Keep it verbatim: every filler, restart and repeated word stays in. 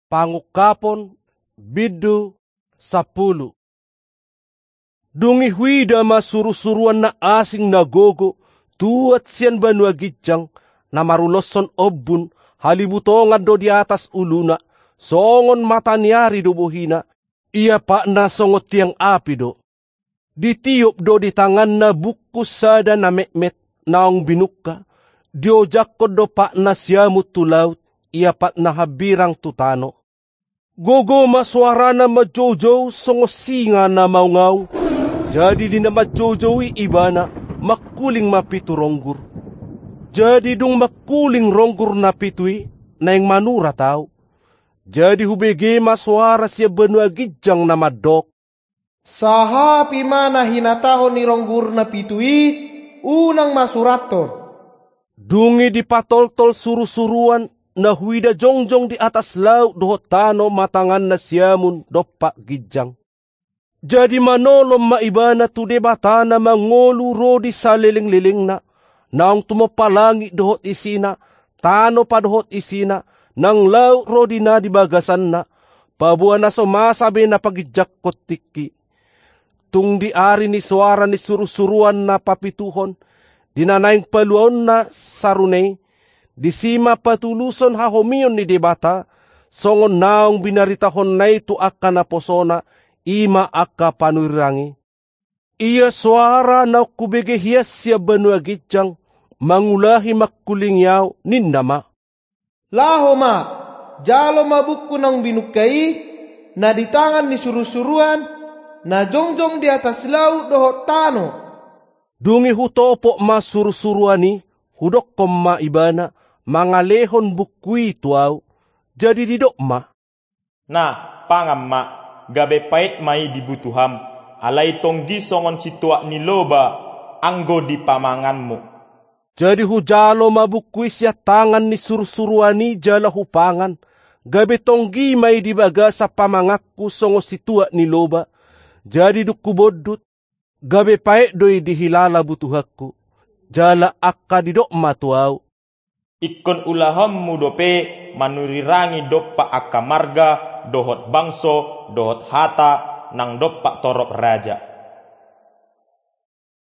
Pangungkapon, bindu sampulu. Dung i huida ma surusuruan na asing na gogo, tuat sian banua ginjang, na maruloshon ombun, halibutongan do di atas uluna, songon mata ni ari do bohina, ia patna songon tiang api do. Ditiop do di tanganna bungkus sada na metmet, naung binungka, diojakkon do patna siamun tu laut, ia patna hambirang tu tano. Gogo ma soarana manjoujou songon singa na maungaung, jadi di na manjoujou i ibana, mangkuling ma pitu ronggur. Jadi dung mangkuling ronggur na pitu i, naeng manurat ahu. Jadi hubege ma soara sian banua ginjang na mandok. Sahapi ma na hinatahon ni ronggur na pitu i, unang masurathon. Dung i dipatoltol surusuruan, na huida jongjong di atas laut dohot tano ma tanganna siamun dompak ginjang. Jadi manolon ma ibana tu Debata na mangolu ro di salelenglelengna, naung tumompa langit dohot isina, tano padohot isina, nang laut ro di na di bagasanna, paboa na so masa be na paginjangkon tingki. Tung di ari ni soara ni surusuruan na papituhon, di na naeng paluaonna sarune i, disi ma patuluson hahomion ni Debata, songon naung binaritahonna i tu angka naposona, i ma angka panurirang i. Ia soara naung hubege hian sian banua ginjang, mangulahi mangkulingi ahu, ninna ma. Laho ma, jalo ma bungku naung binungka i, na di tangan ni surusuruan, na jongjong di atas laut dohot tano. Dung i hutopot ma surusuruan i, hudokkon ma ibana, mangalehon bungku i tu ahu, jadi didok ma. Na, pangan ma, gabe paet ma i di butuham, alai tonggi songon situak ni loba, anggo di pamanganmu. Jadi hujalo ma bungku i sian tangan ni surusuruan i jala hupangan, gabe tonggi ma i di bagasan pamanganku songon situak ni loba, jadi dung hubondut, gabe paet do i dihilala butuhangku, jala angka didok ma tu ahu. Ingkon ulahanmu dope manurirangi dompak angka marga, dohot bangso, dohot hata, nang dompak torop raja.